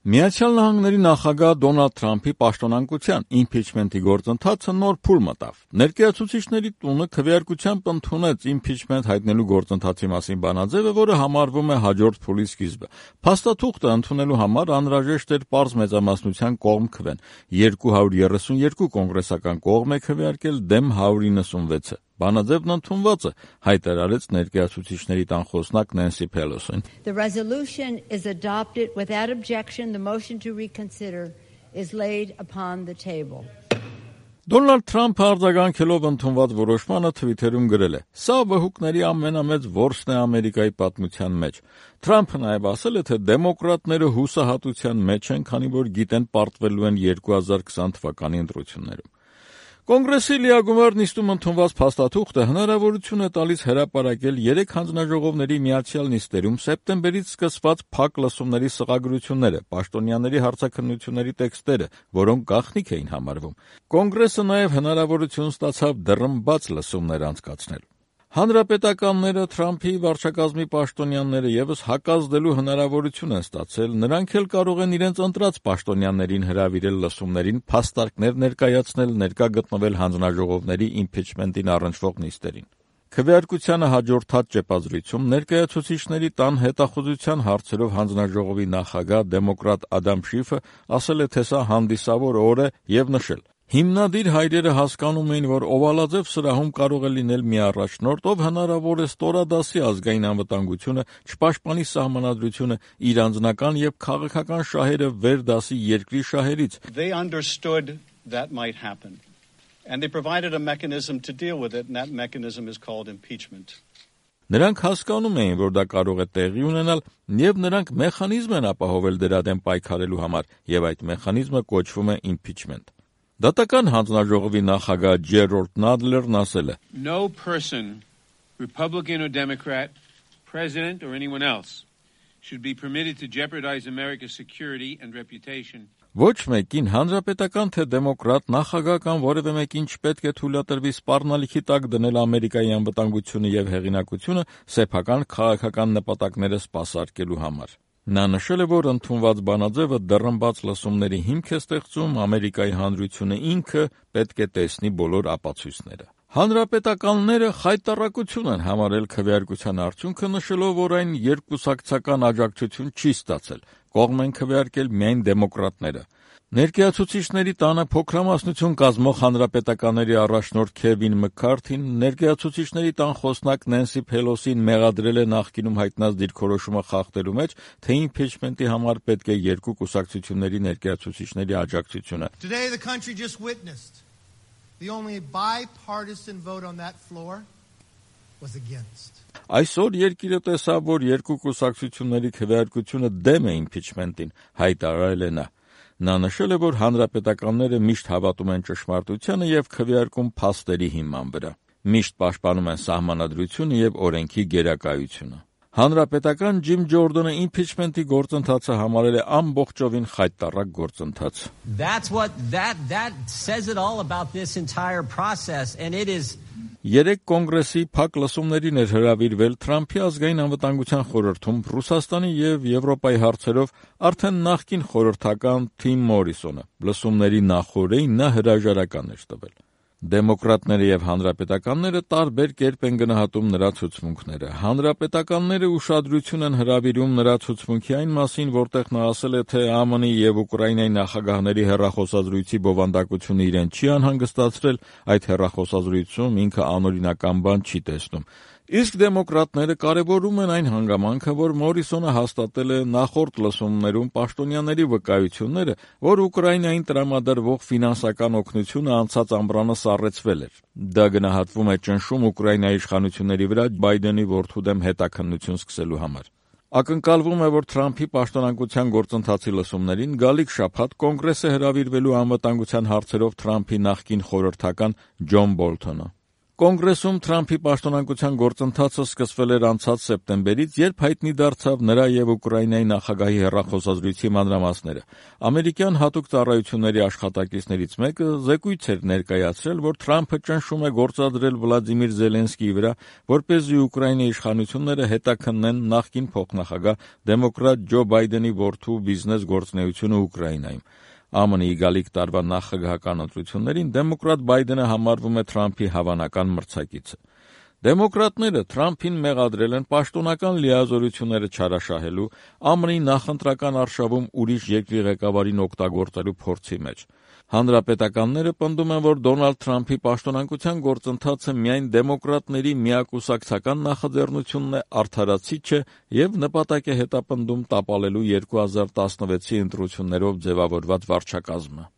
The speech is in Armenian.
Միացյալ Նահանգների նախագահ Դոնալդ Թրամփի պաշտոնանկության իմփիչմենտի գործընթացը նոր փուլ մտավ։ Ներկայացուցիչների տունը քվեարկությամբ ընդունեց իմփիչմենտ հայտնելու գործընթացի մասին բանաձևը, որը համարվում է հաջորդ փուլի սկիզբը։ Փաստաթուղթը ընդունելու համար անհրաժեշտ էր պարզ մեծամասնության կողմ քվեն։ 232 կոնգրեսական կողմ է քվեարկել դեմ 196-ը։ Բանաձևն ընդունված է, հայտարարեց ներկայացուցիչների տան խոսնակ Նենսի Փելոսին։ The resolution is adopted without objection. The motion to reconsider is laid upon the table. Դոնալդ Թրամփը արձագանքելով ընդունված որոշմանը Թվիթերում գրել է. «Սա վհուկների ամենամեծ որսն է Ամերիկայի պատմության մեջ»։ Թրամփը նաև ասել է, թե դեմոկրատները հուսահատության մեջ են, քանի որ գիտեն պարտվելու են 2020 թվականի ընտրություններում։ Կոնգրեսի լիագումար նիստում ընդունված փաստաթուղթը հնարավորություն է տալիս հրապարակել 3 հանձնաժողովների միացյալ նիստերում սեպտեմբերից սկսված փակ լսումների սղագրությունները, պաշտոնյաների հարցաքննությունների տեքստերը, որոնք գաղտնիք էին համարվում։ Կոնգրեսը նաև հնարավորություն ստացավ դռնբաց լսումներ անցկացնել։ Հանրապետականները Թրամփի վարչակազմի պաշտոնյաները ևս հակազդելու հնարավորություն են ստացել, նրանք էլ կարող են իրենց ընտրած պաշտոնյաներին հրավիրել լսումներին, փաստարկներ ներկայացնել, ներկա գտնվել հանձնաժողովների իմփիչմենտին առնչվող նիստերին։ Քվեարկությանը հաջորդած ճեպազրույցում ներկայացուցիչների տան հետախուզության հարցերով հանձնաժողովի նախագահ դեմոկրատ Ադամ Շիֆը ասել է, թե սա հանդիսավոր օր է եւ նշել. Հիմնադիր հայրերը հասկանում էին, որ օվալաձև սրահում կարող է լինել մի առաջնորդ, ով հնարավոր է ստորադասի ազգային անվտանգությունը, չպաշտպանի սահմանադրությունը, իր անձնական եւ քաղաքական շահերը վեր դասի երկրի շահերից։ They understood that might happen and they provided a mechanism to deal with it, and that mechanism is called impeachment. Նրանք հասկանում էին, որ դա կարող է տեղի ունենալ, եւ նրանք մեխանիզմ են ապահովել դրա դեմ պայքարելու համար, եւ այդ մեխանիզմը կոչվում է impeachment։ Դատական հանձնաժողովի նախագահ Ջերալդ Նադլերն ասել է. No person, Republican or Democrat, president or anyone else, should be permitted to jeopardize America's security and reputation. Ոչ մեկին հանրապետական թե դեմոկրատ նախագահ կամ որևէ մեկին չպետք է թույլատրվի սպառնալիքի տակ դնել Ամերիկայի անվտանգությունը եւ հեղինակությունը սեփական քաղաքական նպատակները սպասարկելու համար։ Նա նշել է, որ ընդունված բանաձևը դռնբաց լսումների հիմք է ստեղծում, Ամերիկայի հանրությունը ինքը պետք է տեսնի բոլոր ապացույցները։ Հանրապետականները խայտառակություն են համարել քվեարկության արդյունքը, նշելով, որ այն երկկուսակցական աջակցություն չի ստացել, կողմ են քվեարկել միայն դեմոկրատները։ Ներկայացուցիչների տանը փոքրամասնություն կազմող հանրապետականների առաջնորդ Քևին Մքքարթին ներկայացուցիչների տան խոսնակ Նենսի Փելոսին մեղադրել է նախկինում հայտնած դիրքորոշումը խախտելու մեջ, թե իմփիչմենտի համար պետք է երկու կուսակցությունների ներկայացուցիչների աջակցությունը։ Today the country just witnessed the only bipartisan vote on that floor was against. Այսօր երկիրը տեսավ, որ երկու կուսակցությունների քվեարկությունը դեմ է իմփիչմենտին, հայտարարել է նա։ Նա նշել է, որ հանրապետականները միշտ հավատում են ճշմարտությանը եւ քվեարկում փաստերի հիման վրա։ Միշտ պաշտպանում են սահմանադրությունը եւ օրենքի գերակայությունը։ Հանրապետական Ջիմ Ջորդոնը իմփիչմենտի գործընթացը համարել է ամբողջովին խայտառակ գործընթաց։ That says it all about this entire process, and it is 3 կոնգրեսի փակ լսումներին էր հրավիրվել Թրամփի ազգային անվտանգության խորհրդում Ռուսաստանի եւ Եվրոպայի հարցերով արդեն նախկին խորհրդական Թիմ Մորիսոնը։ Լսումների նախօրեին նա հրաժարական էր տվել։ Դեմոկրատները եւ հանրապետականները տարբեր կերպ են գնահատում նրա ցուցմունքները։ Հանրապետականները ուշադրություն են հրավիրում նրա ցուցմունքի այն մասին, որտեղ նա ասել է, թե ԱՄՆ-ի եւ Ուկրաինայի նախագահների հեռախոսազրույցի բովանդակությունը իրեն չի անհանգստացրել, այդ հեռախոսազրույցում ինքը անօրինական բան չի տեսնում։ Իսկ դեմոկրատները կարևորում են այն հանգամանքը, որ Մորիսոնը հաստատել է նախորդ լսումներում պաշտոնյաների վկայությունները, որ Ուկրաինային տրամադրվող ֆինանսական օգնությունը անցած ամռանը սառեցվել էր։ Դա գնահատվում է ճնշում Ուկրաինայի իշխանությունների վրա Բայդենի որդու դեմ հետաքննություն սկսելու համար։ Ակնկալվում է, որ Թրամփի պաշտոնանկության գործընթացի լսումներին գալիք շաբաթ կոնգրեսը հրավիրվելու անվտանգության հարցերով Թրամփի նախկին խորհրդական Ջոն Բոլթոնը։ Կոնգրեսում Թրամփի պաշտոնանկության գործընթացը սկսվել էր անցած սեպտեմբերից, երբ հայտնի դարձավ նրա եւ Ուկրաինայի նախագահի հեռախոսազրույցի մանրամասները։ Ամերիկյան հատուկ ծառայությունների աշխատակիցներից մեկը զեկույց էր ներկայացրել, որ Թրամփը ճնշում է գործադրել Վլադիմիր Զելենսկիի վրա, որպեսզի Ուկրաինայի իշխանությունները հետաքննեն նախկին փոխնախագահ դեմոկրատ Ջո Բայդենի որդու բիզնես գործունեությունը Ուկրաինայում։ ԱՄՆ-ի գալիք տարվա նախագահական ընտրություններին դեմոկրատ Բայդենը համարվում է Թրամփի հավանական մրցակիցը։ Դեմոկրատները Թրամփին մեղադրել են պաշտոնական լիազորությունները չարաշահելու, ԱՄՆ-ի նախընտրական արշավում ուրիշ երկրի ղեկավարին օգտագործելու փորձի մեջ։ Հանրապետականները պնդում են, որ Դոնալդ Թրամփի պաշտոնանկության գործընթացը միայն դեմոկրատների միակուսակցական նախաձեռնությունն է, արդարացիչ է եւ նպատակ է հետապնդում տապալելու 2016-ի ընտրություններով ձևավորված վարչակազմը։